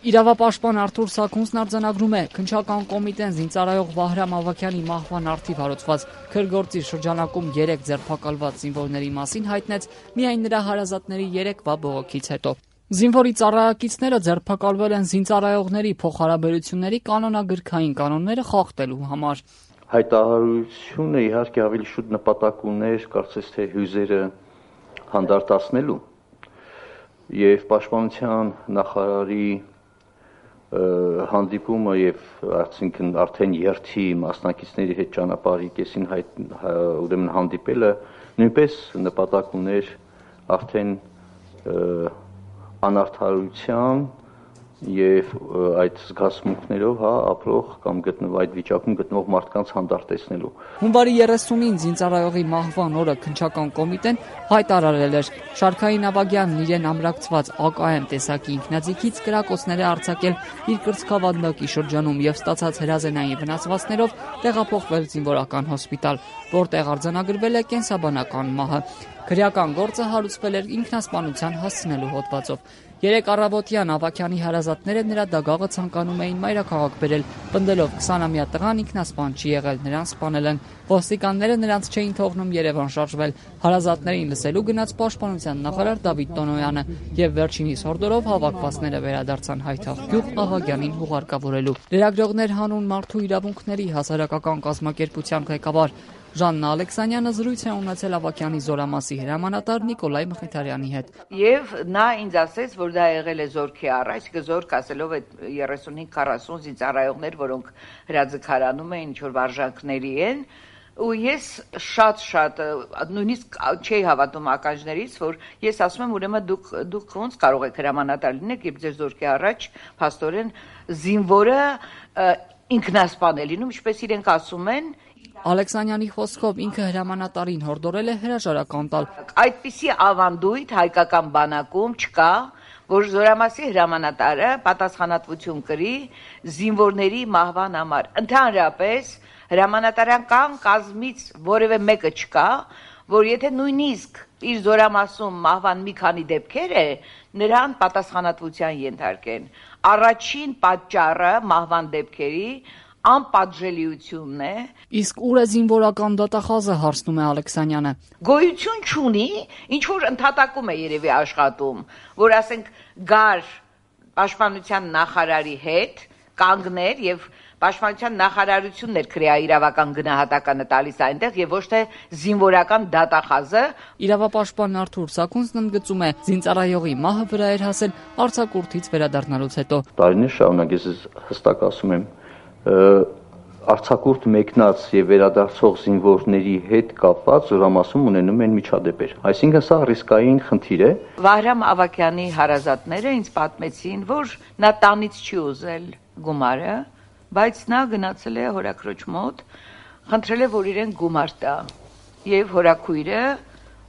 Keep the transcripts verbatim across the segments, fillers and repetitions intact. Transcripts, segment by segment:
Իրավապաշտպան Արթուր Սաքունցն արձանագրում է, քննչական կոմիտեն զինծառայող Վահրամ Ավագյանի մահվան առթիվ հարուցված քրգործի շրջանակում երեք ձերբակալված զինվորների մասին հայտնեց միայն նրա հարազատների երեկվա բողոքից հետո։ Զինվորի ծառայակիցները ձերբակալվել են զինծառայողների փոխհարաբերությունների կանոնագրքային կանոնները խախտելու համար։ Հայտարարությունը իհարկե ավելի շուտ նպատակ ուներ, կարծես թե հյուզերը հանդարտացնելու եւ պաշտպանության նախարարի հանդիպումը եւ այսինքն արդեն երթի մասնակիցների հետ ճանապարհի կեսին հայտ ուրեմն հանդիպելը նույնպես նպատակ ուներ արդեն անարդարության եւ այդ զգացմունքներով հա ապրող կամ գտնվող այդ վիճակում գտնվող մարդկանց հանդարտեցնելու։ Հունվարի երեսունին զինծառայողի մահվան օրը քննչական կոմիտեն հայտարարել էր Շարքային Ավագյանն իրեն ամրակցված A K M տեսակի ինքնաձիգից կրակոցներ է արձակել իր կրծքավանդակի շրջանում եւ ստացած հրազենային վնասվածքներով տեղափոխվել զինվորական հոսպիտալ, որտեղ արձանագրվել է կենսաբանական մահը։ Քրեական գործը հարուցվել էր ինքնասպանության հասցնելու հոդվածով։ Երեք առավոտյան Ավագյանի հարազատները նրա դագաղը ցանկանում էին մայրաքաղաք բերել, պնդելով քսանամյա տղան ինքնասպան չի եղել, նրան սպանել են։ Ոստիկանները նրանց չէին թողնում Երևան շարժվել։ Հարազատներին լսելու գնաց պաշտպանության նախարար Դավիթ Տոնոյանը եւ վերջինիս հորդորով հավաքվածները վերադարձան Հայթաղ Ավագյանին հուղարկավորելու։ Լրագրողներ հանուն մարդու իրավունքների հասարակական կազմակերպության ղեկավար Ժաննա Ալեքսանյանը զրույց է ունեցել Ավագյանի զորամասի հրամանատար Նիկոլայ Մխիթարյանի հետ։ Եվ նա ինձ ասեց, որ դա եղել է զորքի առաջ, զորք ասելով այդ երեսունհինգ քառասուն զինծառայողներ, որոնք հրաձգարանում էին, ինչ որ վարժանքների են, ու ես շատ-շատ նույնիսկ չէի հավատում ականջներից, որ ես ասում եմ, ուրեմն դուք դուք ոնց կարող եք հրամանատար լինեք, երբ ձեր զորքի առաջ փաստորեն զինվորը ինքնասպան է լինում, ինչպես իրենք ասում են։ Ալեքսանյանի խոսքով ինքը հրամանատարին հորդորել է հրաժարական տալ։ Այդպիսի ավանդույթ հայկական բանակում չկա, որ զորամասի հրամանատարը պատասխանատվություն կրի զինվորների մահվան համար։ Ընդհանրապես հրամանատարական կազմից որևէ մեկը չկա, որ եթե նույնիսկ իր զորամասում մահվան մի քանի դեպքեր է, նրան պատասխանատվության ենթարկեն։ Առաջին պատճառը մահվան դեպքերի անպատժելիությունն է։ Իսկ ուր է զինվորական դատախազը, հարցնում է Ալեքսանյանը։ Գոյություն չունի, ինչ որ ընդհատակում է երևի աշխատում, որ ասենք գար պաշտպանության նախարարի հետ կանգներ եւ պաշտպանության նախարարությունն էր քրեա իրավական գնահատականը տալիս այնտեղ եւ ոչ թե զինվորական դատախազը։ Իրավապաշտպան Արթուր Սաքունցն ընդգծում է, զինծառայողի մահը վրա էր հասել արձակուրդից վերադառնալուց հետո։ Տարիներ շարունակ ես հստակ ասում եմ, արձակուրդ մեկնած եւ վերադարձող զինվորների հետ կապված զորամասում ունենում են միջադեպեր։ Այսինքն սա ռիսկային խնդիր է։ Վահրամ Ավագյանի հարազատները ինձ պատմեցին, որ նա տանից չի ուզել գումարը, բայց նա գնացել է հորաքրոջ մոտ, խնդրել է, որ իրեն գումար տա, եւ հորաքույրը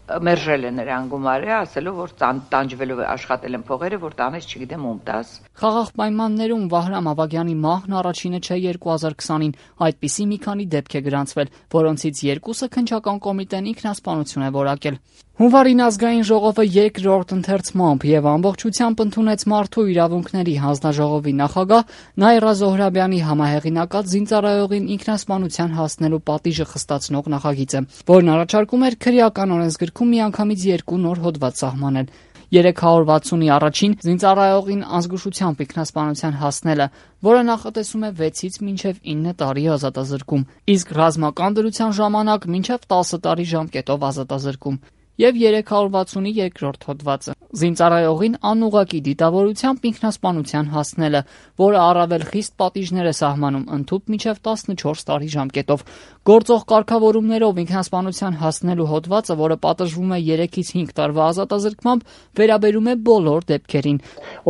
մերժել է նրան գումարը, ասելով, որ տանջվելով աշխատել են փողերը, որ տանես չգիտեմ ում տաս։ Խաղաղ պայմաններում Վահրամ Ավագյանի մահն առաջինը չէ երկու հազար քսանին, այդպիսի մի քանի դեպք է գրանցվել, որոնցից երկուսը քննչական կոմիտեն ինքնասպանություն է որակել։ Հունվարին ազգային ժողովը երկրորդ ընթերցմամբ եւ ամբողջությամբ ընդունեց Մարդու իրավունքների հանձնաժողովի նախագահ Նայրա Զոհրաբյանի համահեղինակած զինծառայողին ինքնասպանության հասնելու պատիժը խստացնող նախագիծը, որն առաջարկում էր քրեական օրենսգրքում միանգամից երկու նոր հոդված սահմանել։ երեք հարյուր վաթսունի առաջին զինծառայողին ազգուշությամբ ինքնասպանության հասնելը, որը նախատեսում է վեցից մինչև ինը տարի ազատազրկում, իսկ ռազմական դրության ժամանակ մինչև տասը տարի ժամկետով ազատազրկում, եւ երեք հարյուր վաթսունի երկրորդ հոդվածը զինծառայողին անուղղակի դիտավորությամբ ինքնասպանության հասնելը, որը առավել խիստ պատիժներ է սահմանում ընդհուպ մինչև տասնչորս տարի ժամկետով։ Գործող կարգավորումներով ինքնասպանության հասնելու հոդվածը, որը պատժվում է երեքից հինգ տարվա ազատազրկմամբ, վերաբերում է բոլոր դեպքերին։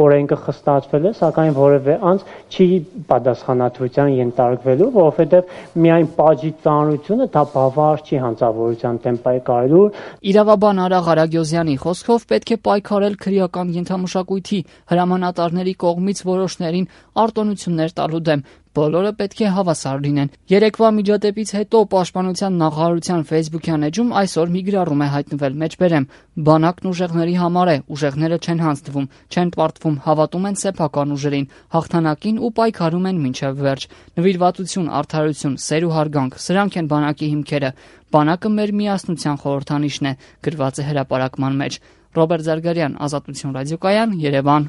Օրենքը խստացվել է, սակայն որևէ անձ չի պատասխանատվության ենթարկվելու, որովհետև միայն պատժի ծանրությունը դա բավարար չի հանցավորության դեմ պայքարելու։ Իրավաբան Արա Ղարագյոզյանի խոսքով պետք է պայքարել քրեական ենթամշակույթի հրամանատարների կողմից որոշներին արտոնություններ տալու դեմ, բոլորը պետք է հավասար լինեն։ Երեկվա միջադեպից հետո Պաշտպանության նախարարության Facebook-յան էջում այսօր մի գրառում է հայտնվել, մեջբերեմ. բանակն ուժեղների համար է, ուժեղները չեն հանձնվում, չեն պարտվում, հավատում են սեփական ուժերին, հաղթանակին ու պայքարում են մինչև վերջ։ Նվիրվածություն, արդարություն, սեր ու հարգանք, սրանք են բանակի հիմքերը։ Բանակը մեր միասնության խորհրդանիշն է, գրված է հրապարակման մեջ։ Ռոբերտ Զարգարյան, Ազատություն ռադիոկայան, Երևան։